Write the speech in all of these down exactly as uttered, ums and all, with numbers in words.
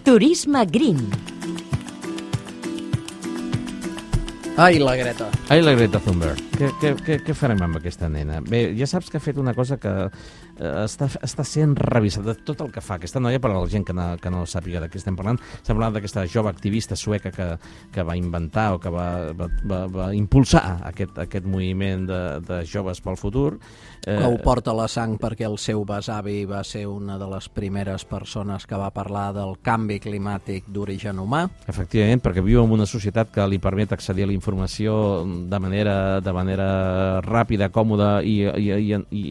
Turisme Green. Ai, la Greta. Ai, la Greta Thunberg. Què, què, què, què farem amb aquesta nena? Bé, ja saps que ha fet una cosa que eh, està, està sent revisada. Tot el que fa aquesta noia, per a la gent que no, que no sàpiga de què estem parlant, estem parlant d'aquesta jove activista sueca que, que va inventar o que va, va, va, va impulsar aquest, aquest moviment de, de joves pel futur. Eh, que ho porta a la sang perquè el seu besavi va ser una de les primeres persones que va parlar del canvi climàtic d'origen humà. Efectivament, perquè viu en una societat que li permet accedir a la informació de manera, de manera ràpida, còmoda i, i, i, i,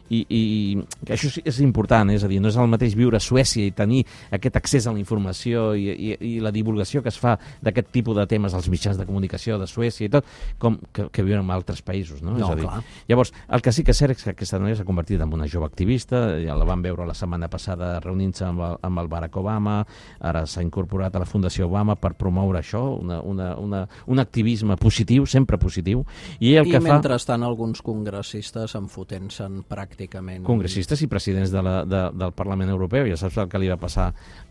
i, i això és important, és a dir, no és el mateix viure a Suècia i tenir aquest accés a la informació i, i, i la divulgació que es fa d'aquest tipus de temes als mitjans de comunicació de Suècia i tot, com que, que viure en altres països, no? No, és a dir, clar. Llavors, el que sí que és cert és que aquesta noia s'ha convertit en una jove activista, ja la vam veure la setmana passada reunint-se amb, el, amb el Barack Obama, ara s'ha incorporat a la Fundació Obama per promoure això, una, una, una, un activisme positiu, sempre positiu, i el I que fa... mentrestant alguns congressistes enfotent-se'n pràcticament... Congressistes i presidents de la, de, del Parlament Europeu, ja saps el que li va passar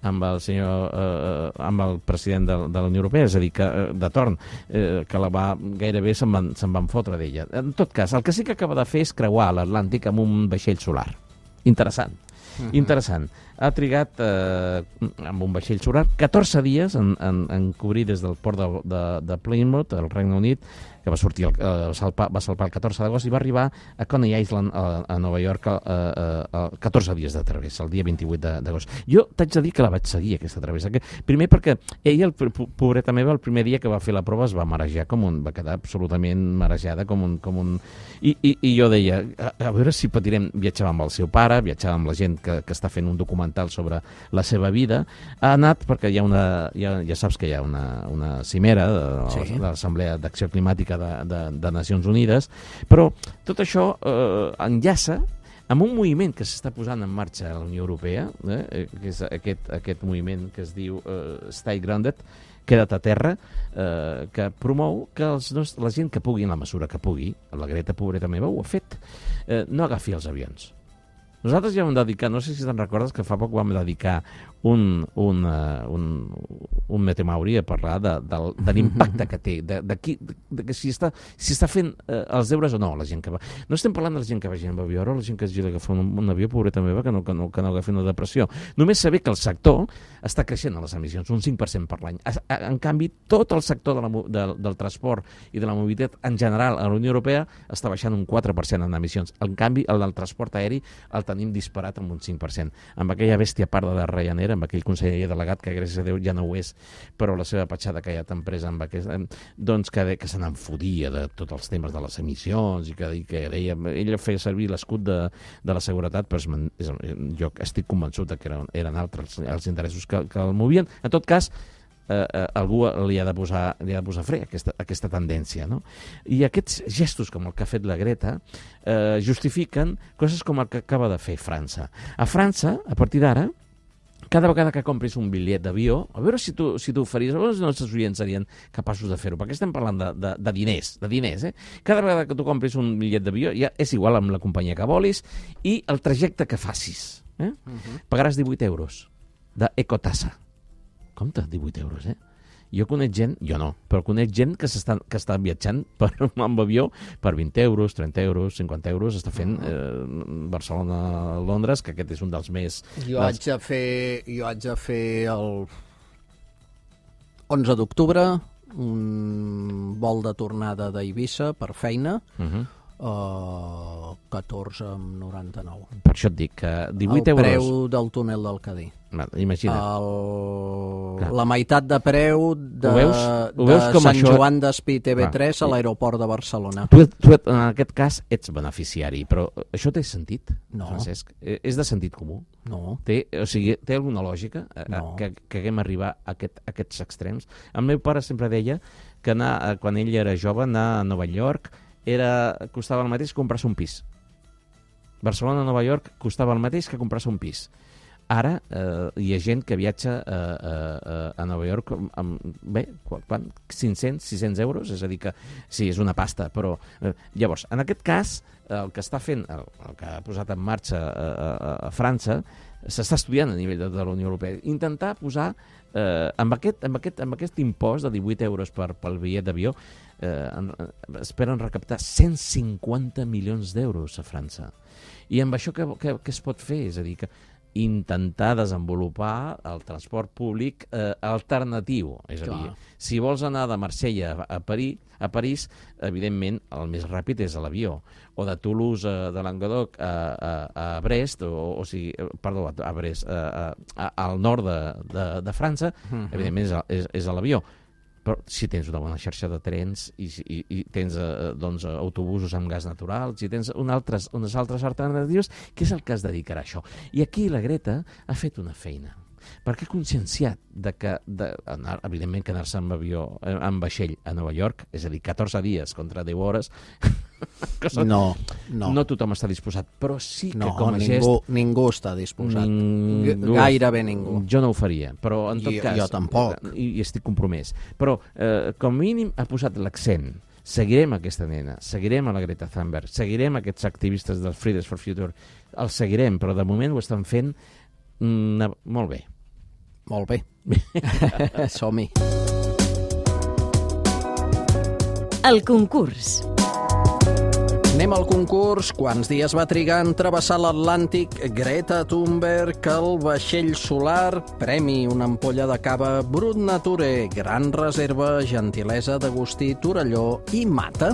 amb el senyor, eh, amb el president de, de la Unió Europea, és a dir, que de torn, eh, que la va, gairebé se'n van, se'n van fotre d'ella. En tot cas, el que sí que acaba de fer és creuar l'Atlàntic amb un vaixell solar. Interessant. Uh-huh. Interessant. Ha trigat eh, amb un vaixell solar catorze dies en, en, en cobrir des del port de, de, de Plymouth, al Regne Unit, que va sortir el, eh, salpar, va salpar el catorze d'agost i va arribar a Coney Island, a, a Nova York, a, a, a catorze dies de travessa, el dia vint-i-vuit d'agost. Jo t'haig de dir que la vaig seguir, aquesta travessa. Que, primer perquè ella, el, pobreta meva, el primer dia que va fer la prova es va marejar com un... va quedar absolutament marejada com un... Com un i, i, I jo deia, a, a veure si patirem... Viatjava amb el seu pare, viatjava amb la gent que, que està fent un documental sobre la seva vida. Ha anat perquè hi ha una... Ja, ja saps que hi ha una, una cimera de, sí. de l'Assemblea d'Acció Climàtica De, de, de Nacions Unides, però tot això eh, enllaça amb un moviment que s'està posant en marxa a la Unió Europea, eh, que és aquest, aquest moviment que es diu eh, Stay Grounded, queda't a terra, eh, que promou que els nos, la gent que pugui, en la mesura que pugui, la Greta, pobreta meva, ho ha fet, eh, no agafi els avions. Nosaltres ja vam dedicar, no sé si te'n recordes que fa poc vam dedicar un, un, uh, un, un Metemauri a parlar de, de, de l'impacte que té, de, de, qui, de, de que si està, si està fent uh, els deures o no la gent que va. No estem parlant de la gent que vagi amb avió, o la gent que hagi d'agafar un, un avió, pobreta meva, que no, que, no, que no agafi una depressió. Només saber que el sector està creixent a les emissions, un cinc per cent per l'any. En canvi, tot el sector de la, de, del transport i de la mobilitat en general a la Unió Europea està baixant un quatre per cent en emissions. En canvi, el del transport aeri el tenim disparat amb un cinc per cent. Amb aquella bèstia parda de Ryanair, amb aquell conseller delegat que gràcies a Déu ja no ho és, però la seva petjada que ja t'ha empresa amb aquest, doncs que, que se n'enfodia de tots els temes de les emissions i que, i que deia, ella feia servir l'escut de, de la seguretat, però és, és, jo estic convençut que eren, eren altres els interessos que, que el movien. En tot cas, eh, eh, algú li ha de posar, li ha de posar fre a aquesta, a aquesta tendència, no? I aquests gestos com el que ha fet la Greta eh, justifiquen coses com el que acaba de fer França. A França, a partir d'ara, cada vegada que compris un bitllet d'avió, a veure si tu, si tu ho faries, els nostres oients serien capaços de fer-ho, perquè estem parlant de, de, de diners, de diners, eh? Cada vegada que tu compris un bitllet d'avió, ja és igual amb la companyia que volis, i el trajecte que facis, eh? Uh-huh. Pagaràs divuit euros d'ecotassa. Compte, divuit euros, eh? Jo conec gent, jo no, però conec gent que, que està viatjant per, amb avió per vint euros, trenta euros, cinquanta euros, està fent eh, Barcelona-Londres, que aquest és un dels més... Jo haig de fer, jo haig de fer el onze d'octubre un vol de tornada d'Eivissa per feina, uh-huh. uh, catorze amb noranta-nou. Per això et dic que divuit euros... El preu del túnel del Cadí. Imagina't. El... La meitat de preu de, ho veus? Ho veus de com Sant això... Joan d'Espí T V tres a l'aeroport de Barcelona. Tu, tu, en aquest cas, ets beneficiari, però això té sentit, no. Francesc? És de sentit comú? No. Té, o sigui, té alguna lògica no. que, que haguem arribar a, aquest, a aquests extrems? El meu pare sempre deia que anar, quan ell era jove, anar a Nova York era, costava el mateix que comprar-se un pis. Barcelona a Nova York costava el mateix que comprar-se un pis. ara eh, hi ha gent que viatja a, a, a Nova York amb, amb bé, quan, cinc-cents, sis-cents euros, és a dir que sí, és una pasta, però eh, llavors, en aquest cas, el que està fent, el, el que ha posat en marxa a, a, a França, s'està estudiant a nivell de, de la Unió Europea, intentar posar eh, amb, aquest, amb, aquest, amb aquest impost de divuit euros per, pel bitllet d'avió, eh, en, esperen recaptar cent cinquanta milions d'euros a França. I amb això què, què, què es pot fer? És a dir, que intentar desenvolupar el transport públic eh, alternatiu. És a dir, Clar. si vols anar de Marsella a París, a París, evidentment, el més ràpid és a l'avió. O de Toulouse, a, de Languedoc, a, a, a Brest, o, o sigui, perdó, a Brest, a, a, al nord de, de, de França, uh-huh. evidentment és a, és, és a l'avió. Però si tens una bona xarxa de trens i, i, i tens eh, doncs, autobusos amb gas natural, si tens un altres, unes altres alternatives, què és el que es dedicarà a això? I aquí la Greta ha fet una feina, perquè ha conscienciat de que, de, anar, evidentment, que anar-se amb avió, amb vaixell a Nova York, és a dir, catorze dies contra deu hores, són, no, no. no tothom està disposat, però sí que no, com a ningú, gest... ningú està disposat, ningú, gairebé ningú. Jo no ho faria, però en tot I, cas... Jo tampoc. I, i estic compromès. Però, eh, com a mínim, ha posat l'accent. Seguirem aquesta nena, seguirem a la Greta Thunberg, seguirem aquests activistes del Fridays for Future, els seguirem, però de moment ho estan fent mm, molt bé. Molt bé. Som-hi. El concurs. Anem al concurs. Quants dies va trigar en travessar l'Atlàntic Greta Thunberg, el vaixell solar, premi, una ampolla de cava Brut Nature, gran reserva, gentilesa d'Agustí Torelló i Mata?